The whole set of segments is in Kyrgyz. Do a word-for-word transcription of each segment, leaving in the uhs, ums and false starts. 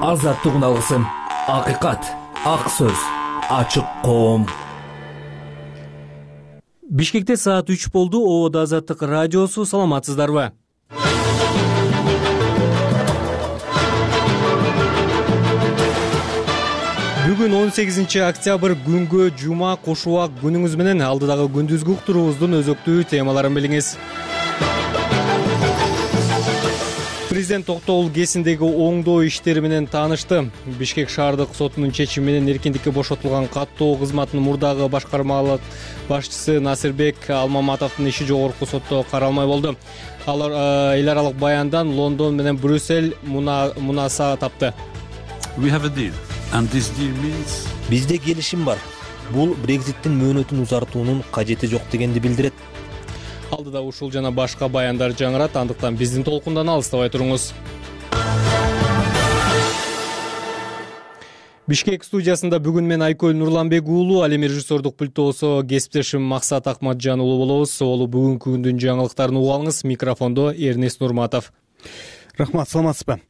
Азаттыгын алгысым, акыйкат, ак сөз, ачык коом. Бишкекте саат үч болду. Ободо Азаттык радиосу. Саламатсыздарбы? Бүгүн он сегизинчи октябрь күнгө жума кош убак күнүңүз менен алдыдагы күндүзгү уктуруубуздун өзөктүү темаларын билиңиз. Президент Токтогул КЭСиндеги оңдоо иштери менен таанышты. Бишкек шаардык сотунун чечими менен эркиндикке бошотулган каттоо кызматынын мурдагы башкармалык башчысы Насирбек Алмаматовдун иши жогорку сотто каралмай болду. Алар эл аралык баяндан Лондон менен Брюссель мунаса тапты. Бизде келишим бар. Бул Брекзиттин мөөнөтүн узартуунун кажети жок дегенди билдирет. Алдыда ушул жана башка баяндар жаңырат, андыктан биздин толкундан алыстабай туруңуз. Бишкек студиясында бүгүн мен Айкөл Нурланбек уулу, ал эми режиссердук пультосо кесиптешим Максат Акматжан уулу болобуз. Олу бүгүнкү күндүн жаңылыктарын угуп алыңыз. Микрофондо Эрнест Нурматов. Рахмат, саламатсызбы?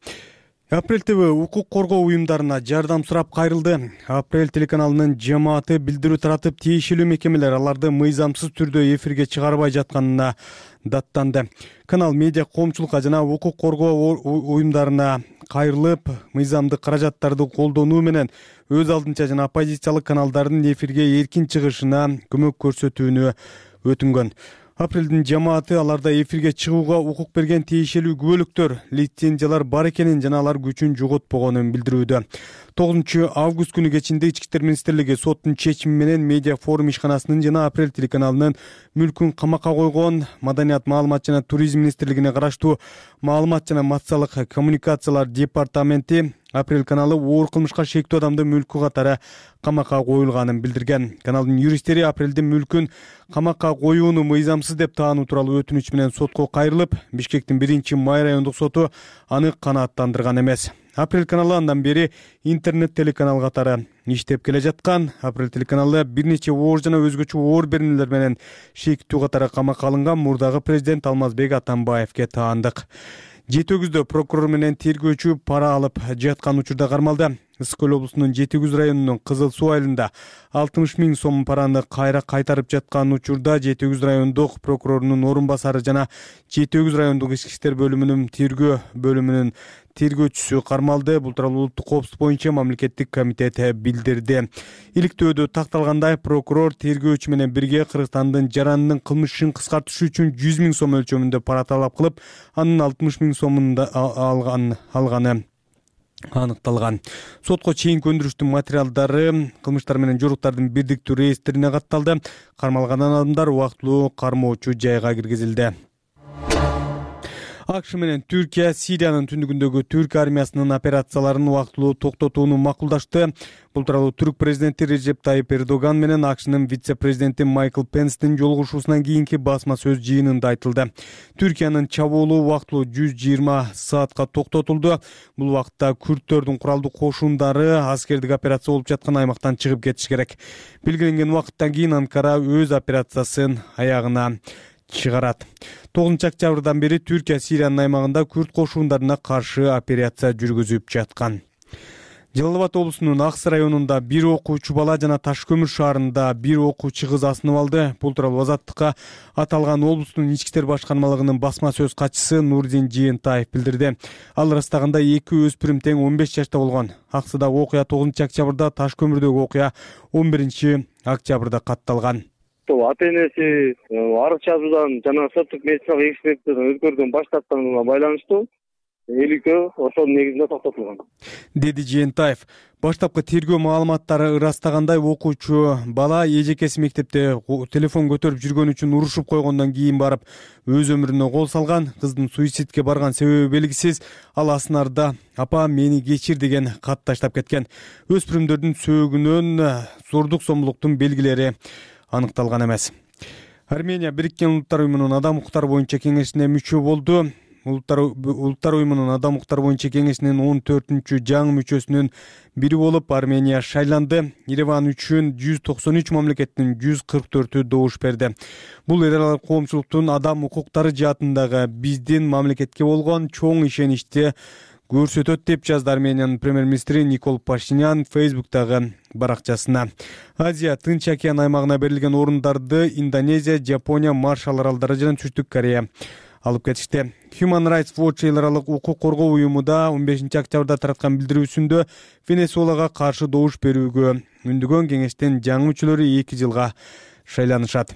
Апрель ТВ укук коргоо уюмдарына жардам сурап кайрылды. Апрель телеканалынын жамааты билдирүү таратып, тиешелүү мекемелер аларды мыйзамсыз түрдө эфирге чыгарбай жатканына даттанды. Канал медиа коомчулукка жана укук коргоо уюмдарына кайрылып, мыйзамдык каражаттарды колдонуу менен өз алдынча жана оппозициялык каналдардын эфирге эркин чыгышына көмөк көрсөтүүнү өтүнгөн. Апрелдин жамааты аларда эфирге чыгууга укук берген тиешелүү күбөлүктөр, лицензиялар бар экенин жана алар күчүн жоготпогонун билдирүүдө. тогузунчу август күнү кечинде Ички иштер министрлиги соттун чечими менен медиа форум ишканасынын жана Апрель телеканалынын мүлкүн камакка койгон. Маданият, маалымат жана туризм министрлигине караштуу маалымат жана массалык коммуникациялар департаменти Апрель каналы оор кылмышка шектүү адамдын мүлкү катары камакка коюлганын билдирген. Каналдын юристтери Апрелдин мүлкүн камакка коюуну мыйзамсыз деп таануу тууралуу өтүнүч менен сотко кайрылып, Бишкектин биринчи май райондук соту аны канааттандырган эмес. Апрель каналы андан бери интернет телеканал катары иштеп келе жаткан. Апрель телеканалы бир нече оор жана өзгөчө оор беренелер менен шектүү катары камакка алынган мурдагы президент Алмазбек Атамбаевге таандык. Жети өгүздө прокурор менен тергөөчү пара алып жаткан учурда кармалды. Ысык Көл облусунун Жети өгүз районунун Кызыл Суу айылында алтымыш миң сом параны кайра кайтарып жаткан учурда Жети өгүз райондук прокурорунун орун басары жана Жети өгүз райондук ички иштер бөлүмүнүн тергөө бөлүмүнүн тергөөчүсү кармалды. Бул тууралуу улуттук коопсуздук боюнча мамлекеттик комитет билдирди. Иликтөөдө такталгандай, прокурор тергөөчү менен бирге Кыргызстандын жарандын кылмыш ишин кыскартыш үчүн жүз миң сом өлчөмүндө пара талап кылып, анын алтымыш миң сомун алган алганы аныкталган. Сотко чейинки өндүрүштүн материалдары кылмыштар менен жоруктардын бирдиктүү реестрине катталды. Кармалган адамдар убактылуу кармоочу жайга киргизилди. АКШ менен Түркия Сириянын түндүгүндөгү түрк армиясынын операцияларын убактылуу токтотууну макулдашты. Бул тууралуу түрк президенти Режеп Тайип Эрдоган менен АКШнын вице-президенти Майкл Пенстин жолугушуусунан кийинки басма сөз жыйынында айтылды. Түркиянын чабуулу убактылуу жүз жыйырма саатка токтотулду. Бул убакытта күрттөрдүн куралдуу кошундары аскердик операция болуп жаткан аймактан чыгып кетиш керек. Белгиленген убакыттан кийин Анкара өз операциясын аягына чыгарат. тогузунчу октябрдан бери Түркия Сириянын аймагында күрт кошундарына каршы операция жүргүзүп жаткан. Жалал Абад облусунун Аксы районунда бир окуучу бала жана Таш көмүр шаарында бир окуучу кыз асынып алды. Бул тууралуу Азаттыкка аталган облустун ички иштер башкармалыгынын басма сөз катчысы Нурдин Жыентаев билдирди. Ал ырастаганда эки өспүрүм тең он беш жашта болгон. Аксыдагы окуя тогузунчу октябрда, Таш көмүрдөгү окуя он биринчи октябрда катталган. Ата энеси арыз жазуудан жана соттук медициналык экспертизадан өткөрүүдөн баш тартканына байланыштуу элүүкөө ошонун негизинде токтотулган, деди Жыентаев. Баштапкы тергөө маалыматтары ырастагандай, окуучу бала эжекеси мектепте телефон көтөрүп жүргөн үчүн урушуп койгондон кийин барып өз өмүрүнө кол салган. Кыздын суицидке барган себеби белгисиз. Ал асынарда "Апа, мени кечир" деген кат таштап кеткен. Өспүрүмдөрдүн сөөгүнөн зордук зомбулуктун белгилери аныкталган эмес. Армения Бириккен Улуттар уюмунун адам укуктары боюнча кеңешине мүчө болду. Улуттар Улуттар уюмунун адам укуктары боюнча кеңешинин он төртүнчү жаңы мүчөсүнүн бири болуп Армения шайланды. Ереван үчүн жүз токсон үч мамлекеттин жүз кырк төртү добуш берди. Бул эл аралык коомчулуктун адам укуктары жаатындагы биздин мамлекетке болгон чоң ишеничти көрсөтөт деп жазды Армениянын премьер-министри Никол Пашинян Фейсбуктагы баракчасына. Азия Тынч океан аймагына берилген орундарды Индонезия, Жапония, Маршалл аралдары жана Түштүк Корея алып кетишти. Human Rights Watch эл аралык укук коргоо уюму да он бешинчи октябрда тараткан билдирүүсүндө Венесуэлага каршы добуш берүүгө үндөгөн кеңештин жаңы мүчөлөрү эки жылга шайланышат.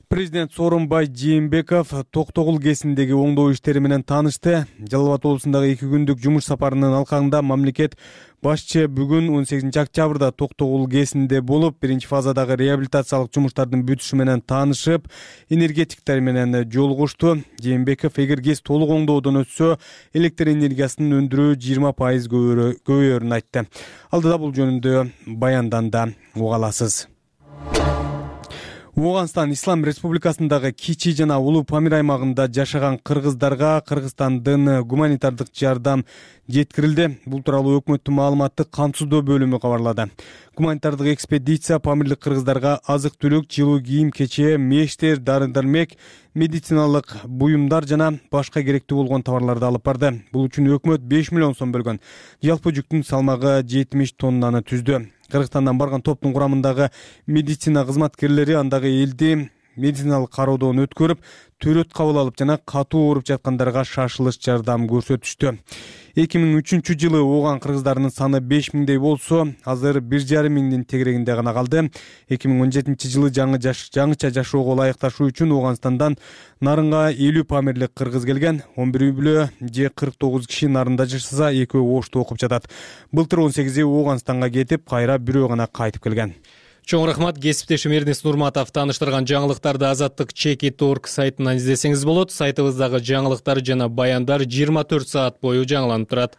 Президент Сооронбай Жээнбеков Токтогул ГЭСиндеги оңдоо иштери менен таанышты. Жалал Абад облусундагы эки күндүк жумуш сапарынын алкагында мамлекет башчы бүгүн он сегизинчи октябрда Токтогул ГЭСинде болуп, биринчи фазадагы реабилитациялык жумуштардын бүтүшү менен таанышып, энергетиктер менен жолугушту. Жээнбеков эгер ГЭС толук оңдоодон өтсө, электр энергиясынын өндүрүү жыйырма пайыз көбөйөрүн айтты. Алдыда бул жөнүндө баянданда уга аласыз. Оогандстан Ислам Республикасындагы Кичи жана Улуу Памир аймагында жашаган кыргыздарга Кыргызстандын гуманитардык жардам жеткирилди. Бул тууралуу өкмөттүн маалыматтык камсыздоо бөлүмү кабарлады. Гуманитардык экспедиция памирлик кыргыздарга азык-түлүк, жылуу кийим, кече, мештер, дары-дармек, медициналык буюмдар жана башка керектүү болгон товарларды алып барды. Бул үчүн өкмөт беш миллион сом бөлгөн. Жалпы жүктүн салмагы жетимиш тоннаны түздү. Кыргызстандан барган топтун курамындагы медицина кызматкерлери андагы элди медициналык кароодон өткөрүп, төрөт кабыл алып жана катуу ооруп жаткандарга шашылыш жардам көрсөтүштү. эки миң үчүнчү жылы ооган кыргыздарынын саны беш миңдей болсо, азыр бир жарым миңдин тегерегинде гана калды. эки миң он жетинчи жылы жаңы жаш, жаңыча жашоого ылайыкташуу үчүн Оогандстандан нарынга элүү памирлик кыргыз келген. он бир үй-бүлө же кырк тогуз киши нарында жашаса, экөө Ошто окуп жатат. Былтыр он сегизи Оогандстанга кетип, кайра бирөө гана кайтып келген. Чоң рахмат. Кесиптешим Эрнест Нурматов тааныштырган жаңылыктарды азаттык чеки точка орг сайтынан издесеңиз болот. Сайтыбыздагы жаңылыктар жана баяндар жыйырма төрт саат бою жаңыланып турат.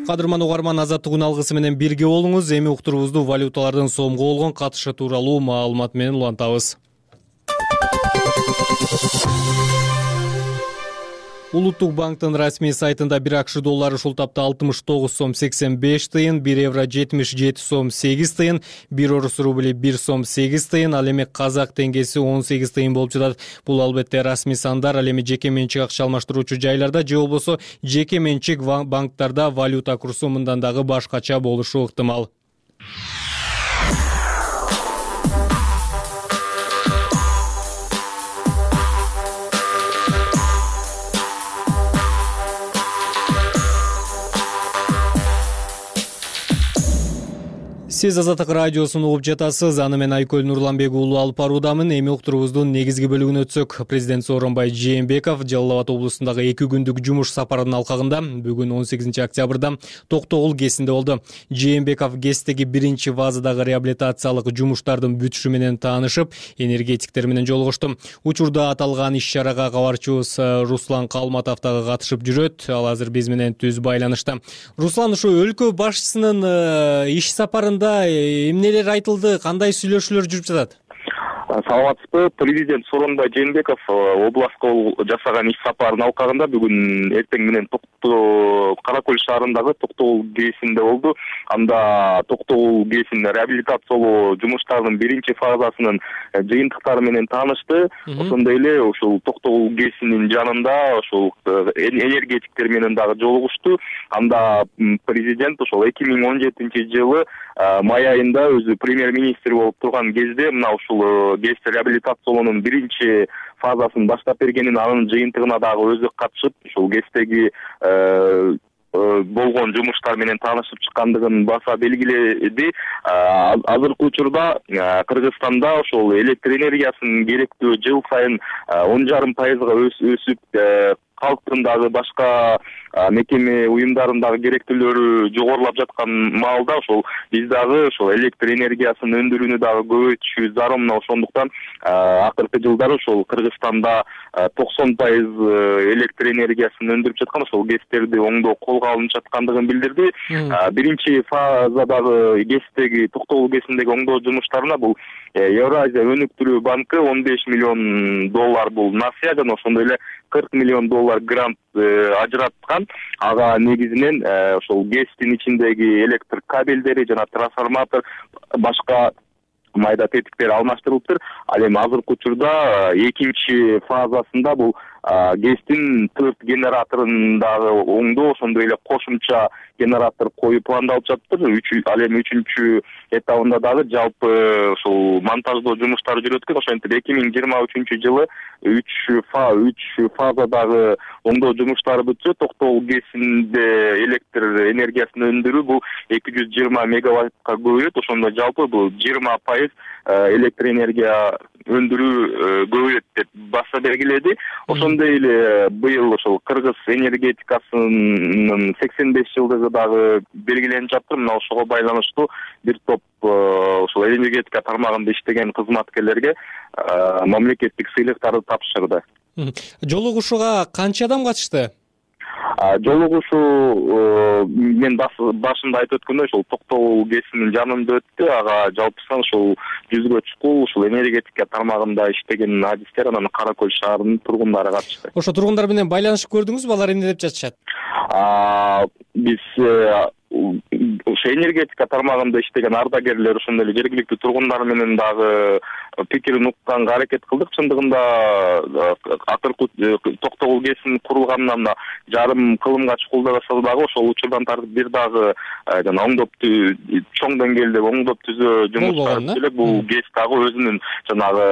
Кадырман угарман, азаттык үн алгысы менен бирге болуңуз. Эми уктурубузду валюталардын сомго болгон катышы тууралуу маалымат менен улантабыз. Улуттук банктын расмий сайтында бир акш доллары ушул тапта алтымыш тогуз сом сексен беш тыйын, бир евро жетимиш жети сом сегиз тыйын, бир орус рубли бир сом сегиз тыйын, ал эми казак теңгеси он сегиз тыйын болуп жатат. Бул албетте расмий сандар, ал эми жеке менчик акча алмаштыруучу жайларда же болбосо жеке менчик банктарда валюта курсу мындан дагы башкача болушу ыктымал. Сиз Азаттык радиосун угуп жатасыз. Аны мен Айкөл Нурланбек уулу алып баруудамын. Эми уктурубуздун негизги бөлүгүнө өтсөк, президент Сооронбай Жээнбеков Жалал Абад облусундагы эки күндүк жумуш сапарынын алкагында бүгүн он сегизинчи октябрда Токтогул ГЭСинде болду. Жээнбеков ГЭСтеги биринчи фазадагы реабилитациялык жумуштардын бүтүшү менен таанышып, энергетиктер менен жолугушту. Учурда аталган иш-чарага кабарчыбыз Руслан Калматов дагы катышып жүрөт. Ал азыр биз менен түз байланышта. Руслан, ушу өлкө башчысынын иш сапарында эмнелер айтылды, кандай сүйлөшүүлөр жүрүп жатат? Саламатсызбы. Президент Сооронбай Жээнбеков областка жасаган иш сапарынын алкагында бүгүн эртең менен Кара Көл шаарындагы Токтогул ГЭСинде болду. Анда Токтогул ГЭСин реабилитациялоо жумуштарынын биринчи фазасынын жыйынтыктары менен таанышты. Ошондой эле ушул Токтогул ГЭСинин жанында ушул энергетиктер менен дагы жолугушту. Анда президент ошол эки миң он жетинчи жылы май айында өзү премьер-министр болуп турган кезде мына ушул ГЭС реабилитациялоонун биринчи фазасын баштап бергенин, анын жыйынтыгына дагы өзү катышып, ушул ГЭСтеги болгон жумуштар менен таанышып чыккандыгын баса белгиледи. Азыркы учурда Кыргызстанда ошол электр энергиясынын керектөө жыл сайын он жарым пайызга өсүп, калктын дагы башка мекеме уюмдарындагы керектүүлөрү жогорулап жаткан маалда ошол биз дагы ошол электр энергиясынын өндүрүүнү дагы көбөйтүшүбүз зарыл. Мына ошондуктан акыркы жылдары ошол Кыргызстанда токсон пайыз электр энергиясын өндүрүп жаткан ошол ГЭСтерди оңдоо колго алынып жаткандыгын билдирди. Биринчи фазадагы ГЭСтеги Токтогул ГЭСиндеги оңдоо жумуштарына бул Евразия өнүктүрүү банкы он беш миллион доллар бул насыя жана ошондой эле кырк миллион доллар грант ажыраткан. Ага негизинен ошол ГЭСтин ичиндеги электр кабелдери жана трансформатор, башка майда тетиктер алмаштырылыптыр. Ал эми азыркы учурда экинчи фазасында бул гэстин төрт генераторун дагы оңдоо, ошондой эле кошумча генератор коюу пландалып жатыптыр. Ал эми үчүнчү этабында дагы жалпы ушул монтаждоо жумуштары жүрөт экен. Ошентип эки миң жыйырма үчүнчү жылы үч фазадагы оңдоо жумуштары бүтсө, Токтогул ГЭСинде электр энергиясын өндүрүү бул эки жүз жыйырма мегаваттка көбөйөт. Ошондо жалпы бул жыйырма пайыз электр энергия өндүрүү көбөйөт деп баса белгиледи. Ошондой эле быйыл ошол кыргыз энергетикасынын сексен беш жылдыгы дагы белгиленип жатыр. Мына ошого байланыштуу бир топ ошол энергетика тармагында иштеген кызматкерлерге мамлекеттик сыйлыктарды тапшырды. Жолугушууга канча адам катышты? Жолугушуу мен башында айтып өткөндөй ошол Токтогул ГЭСинин жанында өттү. Ага жалпы сан ушул жүзгө чукул ушул энергетика тармагында иштеген адистер, анан Кара Көл шаарынын тургундары катышты. Ошо тургундар менен байланышып көрдүңүзбү? Алар эмне деп жатышат? Биз ошо энергетика тармагында иштеген ардагерлер, ошондой эле жергиликтүү тургундар менен дагы пикирин укканга аракет кылдык. Чындыгында акыркы Токтогул ГЭСин курулганына мына жарым кылымга чукулдаса дагы ошол учурдан тартып бир дагы жана оңдоп чоң деңгээлдеги оңдоп түзөө жумуштары элек. Бул ГЭС дагы өзүнүн жанагы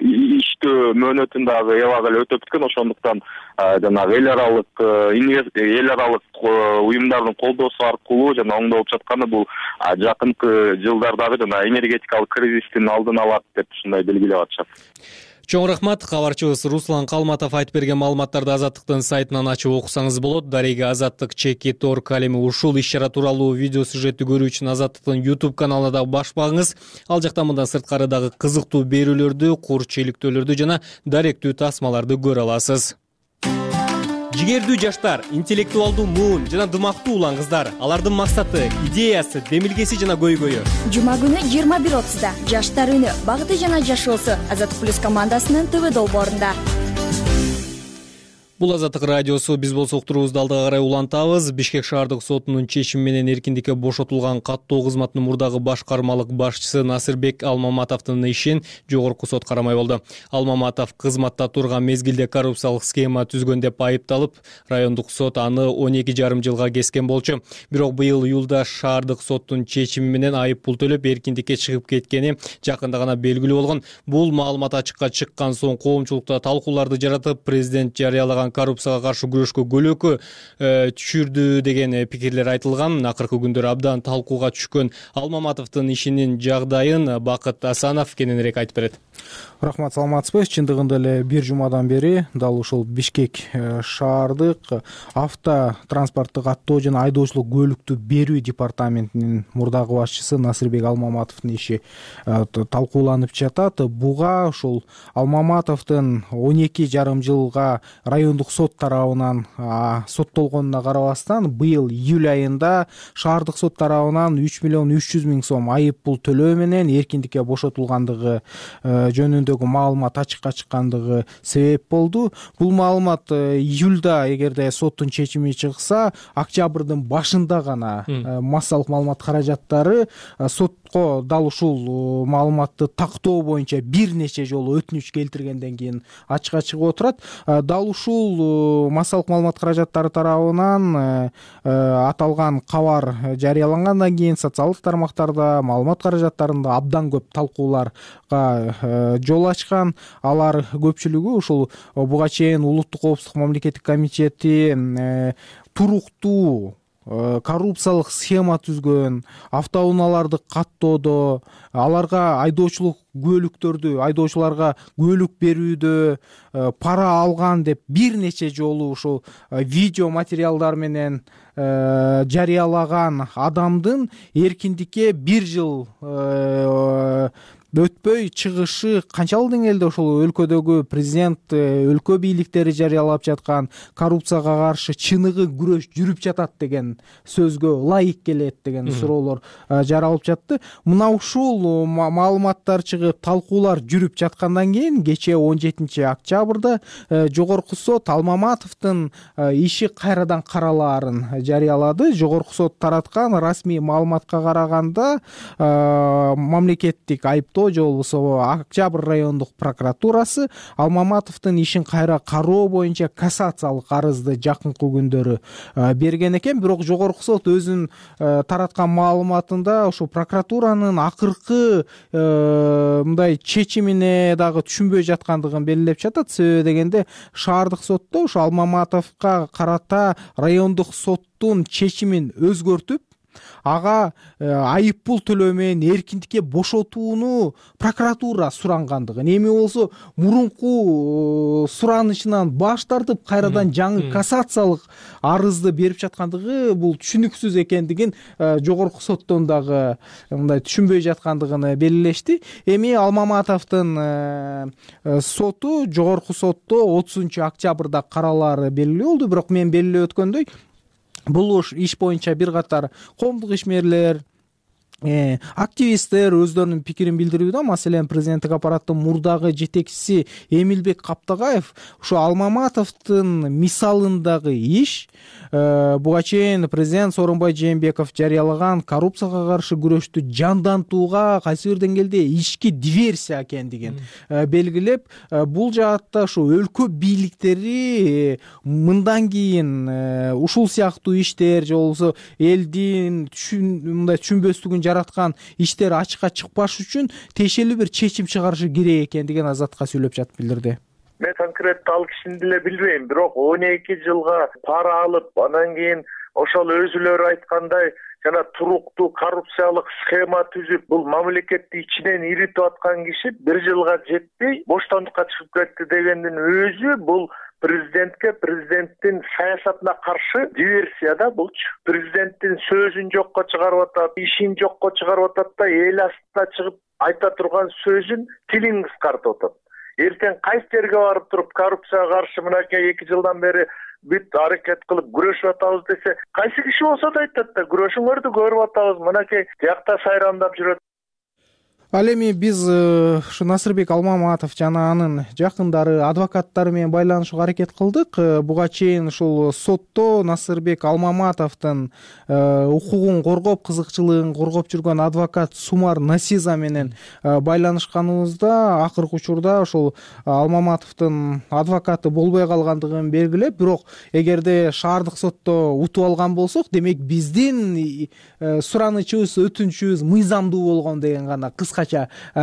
иштөө мөөнөтүн дагы эбак эле өтөп бүткөн. Ошондуктан жанагы эл аралык эл аралык уюмдардын колдоосу аркылуу жана оңдолуп жатканы бул жакынкы жылдардагы жана энергетикалык кризистин алдын алат деп ушундай белгилеп атышат. Чоң рахмат. Кабарчыбыз Руслан Калматов айтып берген маалыматтарды Азаттыктын сайтынан ачып окусаңыз болот. Дарега Азаттык чеки торг ал эми ушул иш-чара тууралуу видео сюжетти көрүү үчүн Азаттыктын YouTube каналына дагы баш багыңыз. Ал жакта мындан сырткары дагы кызыктуу берүүлөрдү, кур чейликтөөлөрдү жана даректүү тасмаларды көрө аласыз. Жигердүү жаштар, интеллектуалдуу муун жана дымактуу улан кыздар. Алардын максаты, идеясы, демилгеси жана көйгөйү. Жума күнү жыйырма бир отузда Жаштар үнү, багыты жана жашоосу Азаттык плюс командасынын ТВ долбоорунда. Бул Азаттык радиосу. Биз болсо уктуруубузду алдыга карай улантабыз. Бишкек шаардык сотунун чечими менен эркиндикке бошотулган каттоо кызматынын мурдагы башкармалык башчысы Насырбек Алмаматовдун ишин жогорку сот карамай болду. Алмаматов кызматта турган мезгилде коррупциялык схема түзгөн деп айыпталып, райондук сот аны он эки жарым жылга кескен болчу. Бирок быйыл июлда шаардык соттун чечими менен айып пул төлөп эркиндикке чыгып кеткени жакында гана белгилүү болгон. Бул маалымат ачыкка чыккан соң коомчулукта талкууларды жаратып, президент жарыялаган коррупцияга каршы күрөшкө көлөкө түшүрдү деген пикирлер айтылган. Акыркы күндөр абдан талкууга түшкөн Алмаматовдун ишинин жагдайын Бакыт Асанов кененирээк айтып берет. Рахмат, саламатсызбы? Чындыгында эле бир жумадан бери дал ушул Бишкек шаардык авто транспорттук каттоо жана айдоочулук көлүктү берүү департаментинин мурдагы башчысы Насырбек Алмаматовдун иши талкууланып жатат. Буга ушул Алмаматовдун он эки жарым жылга райондук сот тарабынан соттолгонуна карабастан, быйыл июль айында шаардык сот тарабынан үч миллион үч жүз миң сом айып пул төлөө менен эркиндикке бошотулгандыгы жөнүндөгү маалымат ачыкка чыккандыгы себеп болду. Бул маалымат июлда эгерде соттун чечими чыкса, октябрдын башында гана массалык маалымат каражаттары сотко дал ушул маалыматты тактоо боюнча бир нече жолу өтүнүч келтиргенден кийин ачыкка чыгып отурат. Дал ушул массалык маалымат каражаттары тарабынан аталган кабар жарыялангандан кийин социалдык тармактарда маалымат каражаттарында абдан көп талкууларга жол ачкан. Алар көпчүлүгү ушул буга чейин улуттук коопсуздук мамлекеттик комитети туруктуу коррупциялык схема түзгөн, автоунааларды каттоодо, аларга айдоочулук көлүктөрдү, айдоочуларга көлүк берүүдө пара алган деп бир нече жолу ушул видео материалдар менен жарыялаган адамдын эркиндикке бир жыл өтпөй чыгышы канчалык деңгээлде ошол өлкөдөгү президент өлкө бийликтери жарыялап жаткан коррупцияга каршы чыныгы күрөш жүрүп жатат деген сөзгө ылайык келет деген суроолор жаралып жатты. Мына ушул маалыматтар чыгып, талкуулар жүрүп жаткандан кийин кечээ он жетинчи октябрда жогорку сот Алмаматовдун иши кайрадан каралаарын жарыялады. Жогорку сот тараткан расмий маалыматка караганда мамлекеттик айыптоо же болбосо Октябрь райондук прокуратурасы Алмаматовдун ишин кайра кароо боюнча кассациялык арызды жакынкы күндөрү берген экен. Бирок жогорку сот өзүнүн тараткан маалыматында ошо прокуратуранын акыркы мындай чечимине дагы түшүнбөй жаткандыгын белгилеп жатат. Себеби дегенде шаардык сотто ошо Алмаматовго карата райондук соттун чечимин өзгөртүп, ага айып пул төлөө менен эркиндикке бошотууну прокуратура сурангандыгын, эми болсо мурунку суранышынан баш тартып кайрадан жаңы кассациялык арызды берип жаткандыгы бул түшүнүксүз экендигин жогорку соттон дагы мындай түшүнбөй жаткандыгын белгилешти. Эми Алмаматовдун соту жогорку сотто отузунчу октябрда каралаары белгилүү болду. Бирок мен белгилеп өткөндөй, бул иш боюнча бир катар коомдук ишмерлер, активисттер өздөрүнүн пикирин билдирүүдө. Маселен, президенттик аппараттын мурдагы жетекчиси Эмилбек Каптагаев ушу Алмаматовдун мисалындагы иш буга чейин президент Сооронбай Жээнбеков жарыялаган коррупцияга каршы күрөштү жандантууга кайсы бир деңгээлде ички диверсия экендигин белгилеп, бул жаатта ушу өлкө бийликтери мындан кийин ушул сыяктуу иштер же болбосо элдин мындай түшүнбөстүгүн жараткан иштер ачыкка чыкпаш үчүн тиешелүү бир чечим чыгарышы керек экендигин Азатка сүйлөп жатып билдирди. Мен конкретно ал кишини деле билбейм, бирок он эки жылга пара алып, анан кийин ошол өзүлөрү айткандай жана туруктуу коррупциялык схема түзүп, бул мамлекетти ичинен иритип аткан киши бир жылга жетпей боштондукка чыгып кетти дегендин өзү бул президентке, президенттин саясатына каршы диверсия да булчу. Президенттин сөзүн жокко чыгарып атат, ишин жокко чыгарып атат да, эл астына чыгып айта турган сөзүн тилин кыскартып атат. Эртең кайсы жерге барып туруп коррупцияга каршы мынакей эки жылдан бери бүт аракет кылып күрөшүп атабыз десе, кайсы киши болсо да айтат да, күрөшүңөрдү көрүп атабыз, мынакей тиякта сайрамдап жүрөт. Ал эми биз ушу Насырбек Алмаматов жана анын жакындары, адвокаттары менен байланышууга аракет кылдык. Буга чейин ушул сотто Насырбек Алмаматовдун укугун коргоп, кызыкчылыгын коргоп жүргөн адвокат Сумар Насиза менен байланышканыбызда акыркы учурда ошол Алмаматовдун адвокаты болбой калгандыгын белгилеп, бирок эгерде шаардык сотто утуп алган болсок, демек биздин суранычыбыз, өтүнүчүбүз мыйзамдуу болгон деген гана кыска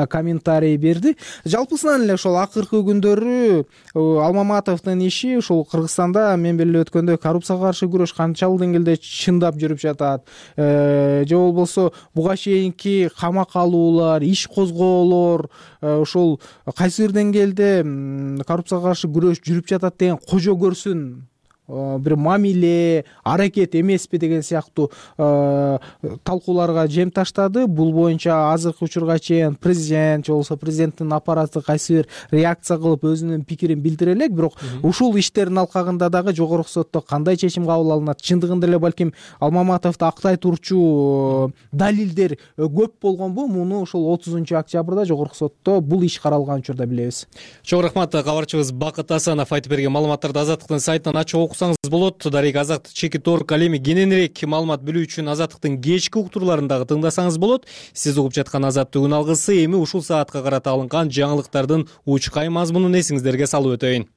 комментарий берди. Жалпысынан эле ошол акыркы күндөрү Алмаматовдун иши ошол Кыргызстанда мен белгилеп өткөндөй коррупцияга каршы күрөш канчалык деңгээлде чындап жүрүп жатат, же болбосо буга чейинки камакка алуулар, иш козгоолор ошол кайсы бир деңгээлде коррупцияга каршы күрөш жүрүп жатат деген кожо көрсүн бир мамиле, аракет эмеспи деген сыяктуу талкууларга жем таштады. Бул боюнча азыркы учурга чейин президент же болбосо президенттин аппараты кайсы бир реакция кылып өзүнүн пикирин билдире элек, бирок ушул иштердин алкагында дагы жогорку сотто кандай чечим кабыл алынат, чындыгында эле балким Алмаматовду актай турчу далилдер көп болгонбу, муну ушул отузунчу октябрда жогорку сотто бул иш каралган учурда билебиз. Чоң рахмат, кабарчыбыз Бакыт Асанов айтып берген маалыматтарды Азаттыктын сайтынан ачып окусаңыз болот. Дарек Азаттык чеки торк ал эми кененирээк маалымат билүү үчүн Азаттыктын кечки уктурларын дагы тыңдасаңыз болот. Сиз угуп жаткан Азаттык күн алгысы эми ушул саатка карата алынган жаңылыктардын учкай мазмунун эсиңиздерге салып өтөйүн.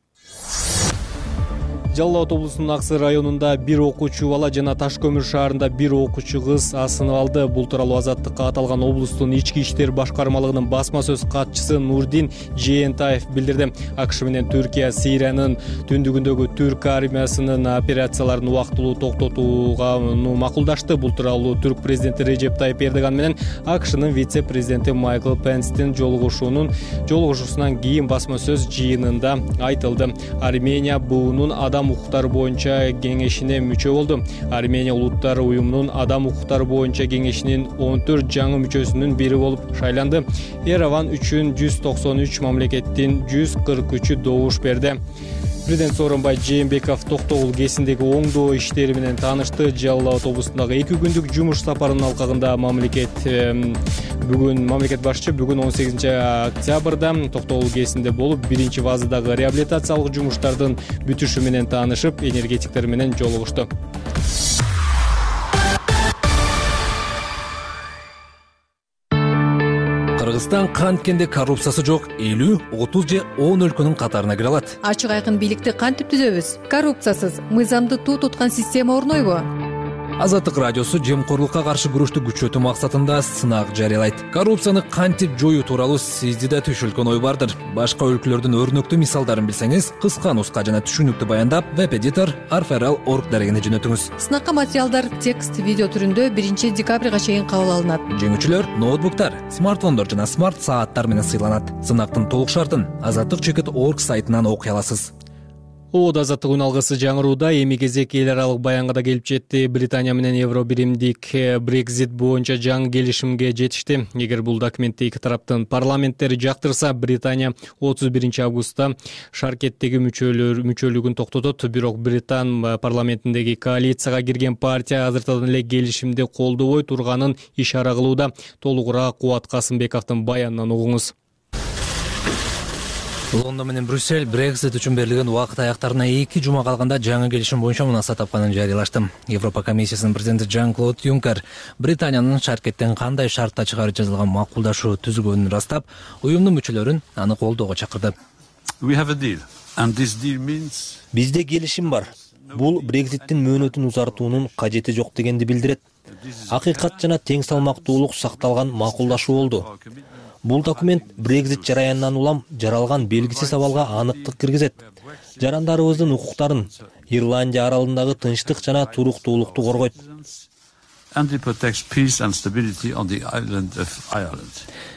Жалал Абад облусунун Аксы районунда бир окуучу бала жана Таш көмүр шаарында бир окуучу кыз асынып алды. Бул тууралуу Азаттыкка аталган облустун ички иштер башкармалыгынын басма сөз катчысы Нурдин Жээнтаев билдирди. АКШ менен Түркия Сириянын түндүгүндөгү түрк армиясынын операцияларын убактылуу токтотууга макулдашты. Бул тууралуу түрк президенти Режеп Тайып Эрдоган менен АКШнын вице-президенти Майкл Пенстин жолугушуунун жолугушуусунан кийин басма сөз жыйынында айтылды. Армения буунун адам адам укуктары боюнча кеңешине мүчө болду. Армения улуттар уюмунун адам укуктары боюнча кеңешинин он төрт жаңы мүчөсүнүн бири болуп шайланды. Ереван үчүн жүз токсон үч мамлекеттин жүз кырк үчү добуш берди. Президент Сооронбай Жээнбеков Токтогул ГЭСиндеги оңдоо иштери менен таанышты. Жалал Абад облусундагы эки күндүк жумуш сапарынын алкагында мамлекет бүгүн мамлекет башчы бүгүн он сегизинчи октябрда Токтогул ГЭСинде болуп, биринчи фазадагы реабилитациялык жумуштардын бүтүшү менен таанышып, энергетиктер менен жолугушту. Кыргызстан канткенде коррупциясы жок элүү, отуз же он өлкөнүн катарына кире алат. Ачык айкын бийликти кантип түзөбүз? Коррупциясыз, мыйзамды туу туткан система орнойбу? Азаттык радиосу жемкорлукка каршы күрөштү күчөтүү максатында сынак жарыялайт. Коррупцияны кантип жоюу тууралуу сизди да түшүлгөн ой бардыр. Башка өлкөлөрдүн өрнөктүү мисалдарын билсеңиз, кыска нуска жана түшүнүктүү баяндап веб-эдитор арфрл точка орг дарегине жөнөтүңүз. Сынакка материалдар текст, видео түрүндө биринчи декабрга чейин кабыл алынат. Жеңүүчүлөр ноутбуктар, смартфондор жана смарт сааттар менен сыйланат. Сынактын толук шартын азаттык точка орг сайтынан окуй аласыз. Оод азаттык үн алгысы жаңырууда эми кезек эл аралык баянга да келип жетти. Британия менен Евро биримдик Brexit боюнча жаңы келишимге жетишти. Эгер бул документти эки тараптын парламенттери жактырса, Британия отуз биринчи августта шаркеттеги мүчөлөр мүчөлүгүн токтотот. Бирок Британ парламентиндеги коалицияга кирген партия азыртадан эле келишимди колдобой турганын ишара кылууда. Толугураак Кубат Касымбековдун баянынан угуңуз. Лондон менен Брюссель Brexit үчүн берилген убакыт аяктарына эки жума калганда жаңы келишим боюнча мунаса тапканын жарыялашты. Европа комиссиясынын президенти Жан-Клод Юнкер Британиянын шаркеттен кандай шартта чыгарып жазылган макулдашуу түзүлгөнүн ырастап, уюмдун мүчөлөрүн аны колдоого чакырды. Бизде келишим бар. Бул Brexиттин мөөнөтүн узартуунун кажети жок дегенди билдирет. Акыйкат жана тең салмактуулук сакталган макулдашуу болду. Бул документ Brexit жараянынан улам жаралган белгисиз абалга аныктык киргизет. Жарандарыбыздын укуктарын, Ирландия аралындагы тынчтык жана туруктуулукту коргойт.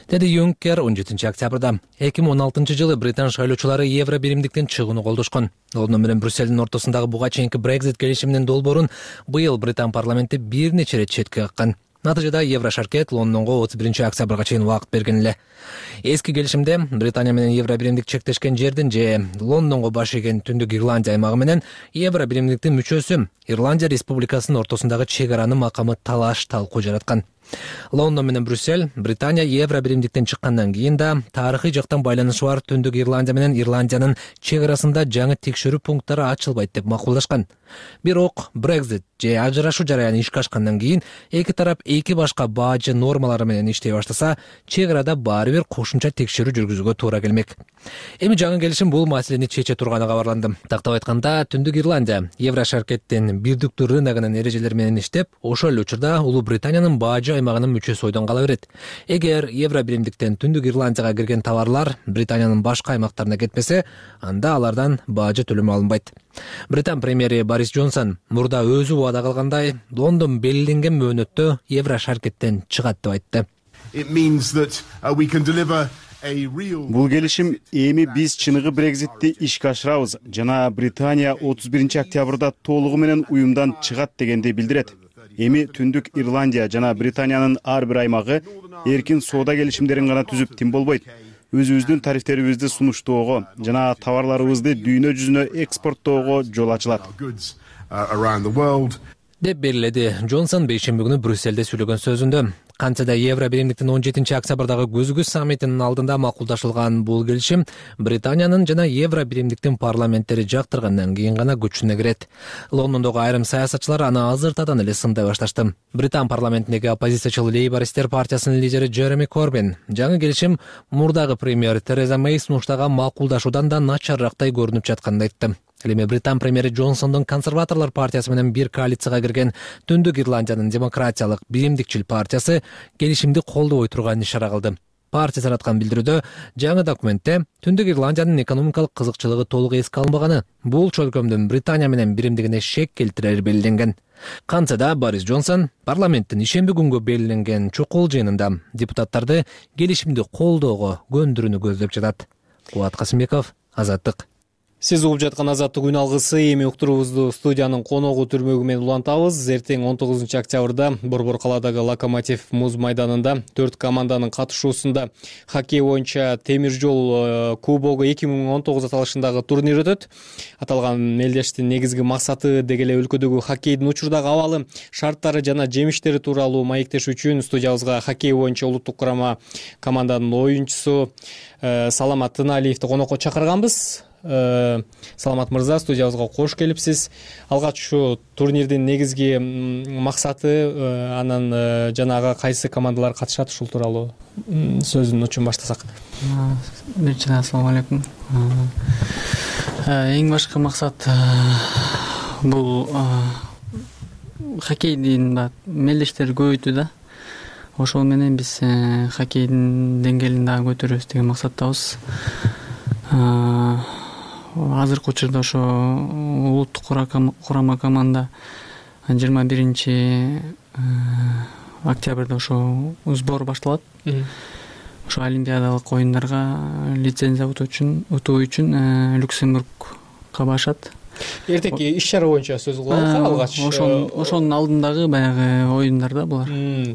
Деди Юнкер он жетинчи октябрда. эки миң он алтынчы жылы британ шайлоочулары Евро биримдиктен чыгууну колдошкон. Лондон менен Брюссельдин ортосундагы буга чейинки Brexit келишиминин долбоорун быйыл британ парламенти бир нече ирет четке каккан. Натыйжада Евро шаркет Лондонго отуз биринчи октябрга чейин убакыт берген эле. Эски келишимде Британия менен Евро биримдик чектешкен жердин же Лондонго баш ийген Түндүк Ирландия аймагы менен Евро биримдиктин мүчөсү Ирландия республикасынын ортосундагы чек аранын макамы талаш талкуу жараткан. Лондон менен Брюссель Британия Евро биримдиктен чыккандан кийин да тарыхый жактан байланышы бар Түндүк Ирландия менен Ирландиянын чек арасында жаңы текшерүү пункттары ачылбайт деп макулдашкан. Бирок Brexit же ажырашуу жараяны ишке ашкандан кийин эки тарап эки башка баажы нормалары менен иштей баштаса, чек арада баары бир кошумча текшерүү жүргүзүүгө туура келмек. Эми жаңы келишим бул маселени чече турганы кабарланды. Тактап айтканда, Түндүк Ирландия Евро шаркеттин бирдиктүү рыногунун эрежелери менен иштеп, ошол эле учурда Улуу Британиянын баажы аймагынын мүчөсү ойдон кала берет. Эгер Евро биримдиктен Түндүк Ирландияга кирген товарлар Британиянын башка аймактарына кетпесе, анда алардан баажы төлөмү алынбайт. Британ премьери Борис Джонсон мурда өзү убада кылгандай, Лондон белгиленген мөөнөттө Евро шаркеттен чыгат деп айтты. Бул келишим эми биз чыныгы Брекзитти ишке ашырабыз жана Британия отуз биринчи октябрда толугу менен уюмдан чыгат дегенди билдирет. Эми Түндүк Ирландия жана Британиянын ар бир аймагы эркин соода келишимдерин гана түзүп тим болбойт. Өзүбүздүн тарифтерибизди сунуштоого жана товарларыбызды дүйнө жүзүнө экспорттоого жол ачылат деп белгиледи Джонсон бейшемби күнү Брюссельде сүйлөгөн сөзүндө. Кантсе Евро биримдиктин он жетинчи октябрдагы көзгүс саммитинин алдында макулдашылган бул келишим Британиянын жана Евро биримдиктин парламенттери жактыргандан кийин гана күчүнө кирет. Лондондогу айрым саясатчылар аны азыртадан эле сындай башташты. Британ парламентиндеги оппозициячыл Лейбористер партиясынын лидери Джереми Корбин жаңы келишим мурдагы премьер Тереза Мэй сунуштаган макулдашуудан да начаррактай көрүнүп жатканын айтты. Эми Британ премьери Джонсондун консерваторлор партиясы менен бир коалицияга кирген Түндүк Ирландиянын демократиялык биримдикчил партиясы келишимди колдобой турганын ишара кылды. Партия тараткан билдирүүдө жаңы документте Түндүк Ирландиянын экономикалык кызыкчылыгы толук эске алынбаганы, бул чөлкөмдүн Британия менен биримдигине шек келтирери белгиленген. Кантсе да Борис Джонсон парламенттин ишемби күнгө белгиленген чукул жыйынында депутаттарды келишимди колдоого көндүрүүнү көздөп жатат. Кубат Касымбеков, Азаттык. Сиз угуп жаткан Азаттык үн алгысы. Эми уктуруубузду студиянын коногу түрмөгү менен улантабыз. Эртең он тогузунчу октябрда Борбор калаадагы Локомотив муз майданында төрт команданын катышуусунда хоккей боюнча темир жол кубогу эки миң он тогуз аталышындагы турнир өтөт. Аталган мелдештин негизги максаты деги эле өлкөдөгү хоккейдин учурдагы абалы, шарттары жана жемиштери тууралуу маектеш үчүн студиябызга хоккей боюнча улуттук курама команданын оюнчусу Саламат Тыналиевди конокко чакырганбыз. Саламат мырза, студиябызга кош келипсиз. Алгач ушу турнирдин негизги максаты, анан жанагы кайсы командалар катышат, ушул тууралуу сөздүн учун баштасак. Биринчиден ассалам алейкум. Эң башкы максат бул хоккейдин мелдештерди көбөйтүү да. Ошол менен биз хоккейдин деңгээлин дагы көтөрөбүз деген максаттабыз. Азыркы учурда ошо улуттук курама команда жыйырма биринчи октябрда ошо сбор башталат. Ошо олимпиадалык оюндарга лицензия утуу үчүн утуу үчүн Люксембургга барышат. Эртеңки иш-чара боюнча сөз кылалы алгач. Ошонун алдындагы баягы оюндарда булар.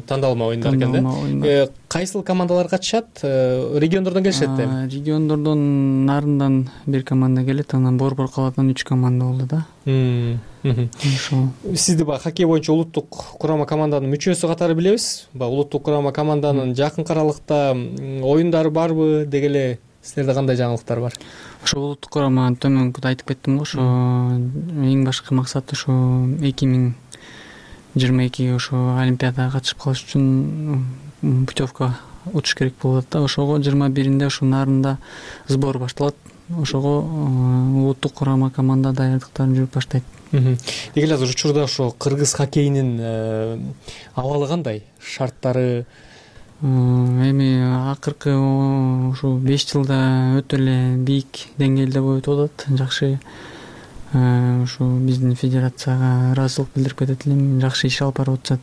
Тандалма оюндар экен да. Кайсыл командалар катышат? Региондордон келишет да? Региондордон нарындан бир команда келет, анан Борбор калаадан үч команда болду да. Ошол. Сизди баягы хоккей боюнча улуттук курама команданын мүчөсү катары билебиз. Баягы улуттук курама команданын жакынкы аралыкта оюндары барбы? Деги эле силерде кандай жаңылыктар бар? Ошо улуттук курама төмөнкүдө айтып кеттим го, ошо эң башкы максаты ошо эки миң жыйырма эки ошо олимпиадага катышып калыш үчүн путевка учуш керек болуп атат да. Ошого жыйырма биринде ошо нарында сбор башталат. Ошого улуттук курама команда даярдыктарын жүрүп баштайт. Деги эле азыр учурда ошо кыргыз хоккейинин абалы кандай? Шарттары эми акыркы ушу беш жылда өтө эле бийик деңгээлде болуп атат. Жакшы ушу биздин федерацияга ыраазычылык билдирип кетет элем. Жакшы иш алып барып атышат.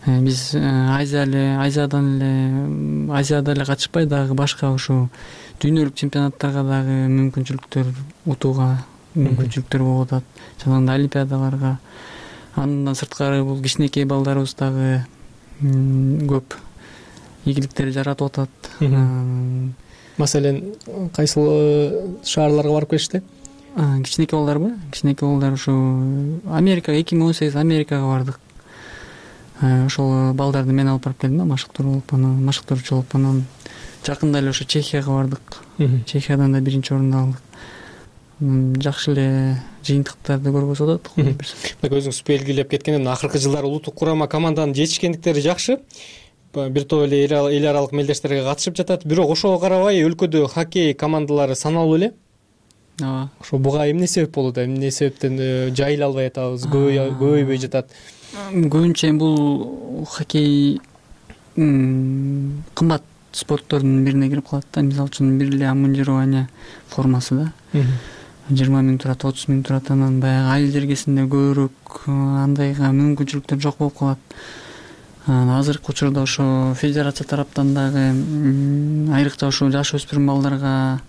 Биз Азия эле Азиядан эле Азияда эле катышпай дагы башка ушу дүйнөлүк чемпионаттарга дагы мүмкүнчүлүктөр утууга мүмкүнчүлүктөр болуп атат. Жанагындай олимпиадаларга. Андан сырткары бул кичинекей балдарыбыз дагы көп ийгиликтер жаратып атат. Маселен, кайсыл шаарларга барып келишти? Кичинекей балдарбы? Кичинекей балдар ушу Америкага эки миң он сегиз Америкага бардык. Ошол балдарды мен алып барып келдим да, машыктыр болуп, анан машыктыруучу болуп, анан жакында эле ошо Чехияга бардык. Чехиядан да биринчи орунду алдык. Жакшы эле жыйынтыктарды көргөзүп атат. Өзүңүз белгилеп кеткенден акыркы жылдары улуттук курама команданын жетишкендиктери жакшы. Бир топ эле эл аралык мелдештерге катышып жатат. Бирок ошого карабай өлкөдө хоккей командалары саналуу эле. Ооба. Ошо буга эмне себеп болууда? Эмне себептен жайыла албай атабыз, көбөйбөй жатат? Көбүнчө бул хоккей кымбат спорттордун бирине кирип калат да. Мисалы үчүн бир эле амунжирование формасы да. жыйырма миң турат, отуз миң турат, анан баягы айыл жергесинде көбүрөөк андайга мүмкүнчүлүктөр жок болуп калат. Азыркы учурда ошо федерация тараптан дагы айрыкча ошо жаш өспүрүм балдарга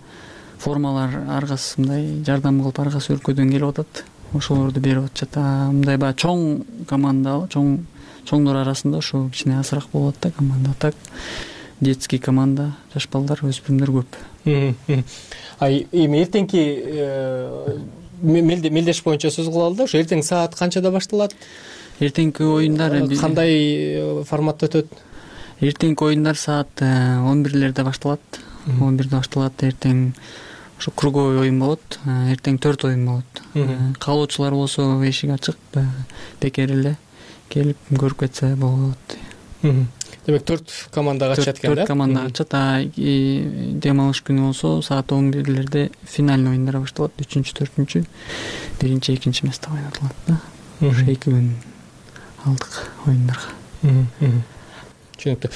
формалар ар кайсы мындай жардам кылып ар кайсы өлкөдөн келип атат. Ошолорду берип атышат. Мындай баягы чоң команда, чоң чоңдор арасында ошо кичине азыраак болот да команда. Так детский команда, жаш балдар, өспүрүмдөр көп. Ай, эми эртеңки мелдеш боюнча сөз кылалы да. Ошо эртең саат канчада башталат? Эртеңки оюндар кандай форматта өтөт? Эртеңки оюндар саат он бирлерде башталат. он бирде башталат. Эртең ошо круговой оюн болот. Эртең төрт оюн болот. Каалоочулар болсо эшик ачык, бекер эле келип көрүп кетсе болот. Демек төрт команда катышат экен да? төрт команда катышат. А дем алыш күнү болсо саат он бирлерде финальный оюндар башталат. үчүнчү, төртүнчү, биринчи, экинчи место ойнотулат да. Ошо эки күн алдык оюндарга. Түшүнүктүү.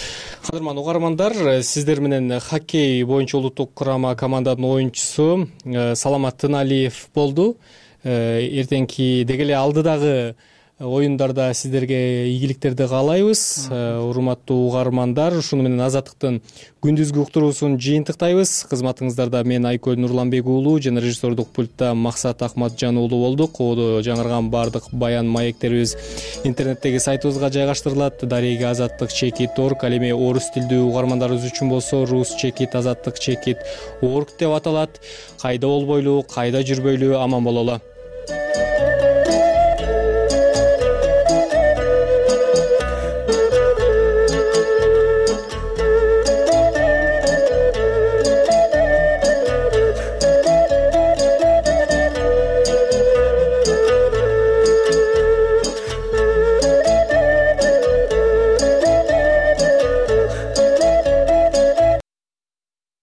Кадырман угармандар, сиздер менен хоккей боюнча улуттук курама команданын оюнчусу Саламат Тыналиев болду. Эртеңки деги эле алдыдагы оюндарда сиздерге ийгиликтерди каалайбыз. Урматтуу угармандар, ушуну менен Азаттыктын күндүзгү уктуруусун жыйынтыктайбыз. Кызматыңыздарда мен Айкөл Нурланбек уулу жана режиссердук пультта Максат Акматжан уулу болдук. Ободо жаңырган баардык баян маектерибиз интернеттеги сайтыбызга жайгаштырылат. Дареги азаттык чекит орг, ал эми орус тилдүү угармандарыбыз үчүн болсо рус чекит азаттык чекит орг деп аталат. Кайда болбойлу, кайда жүрбөйлү, аман бололу.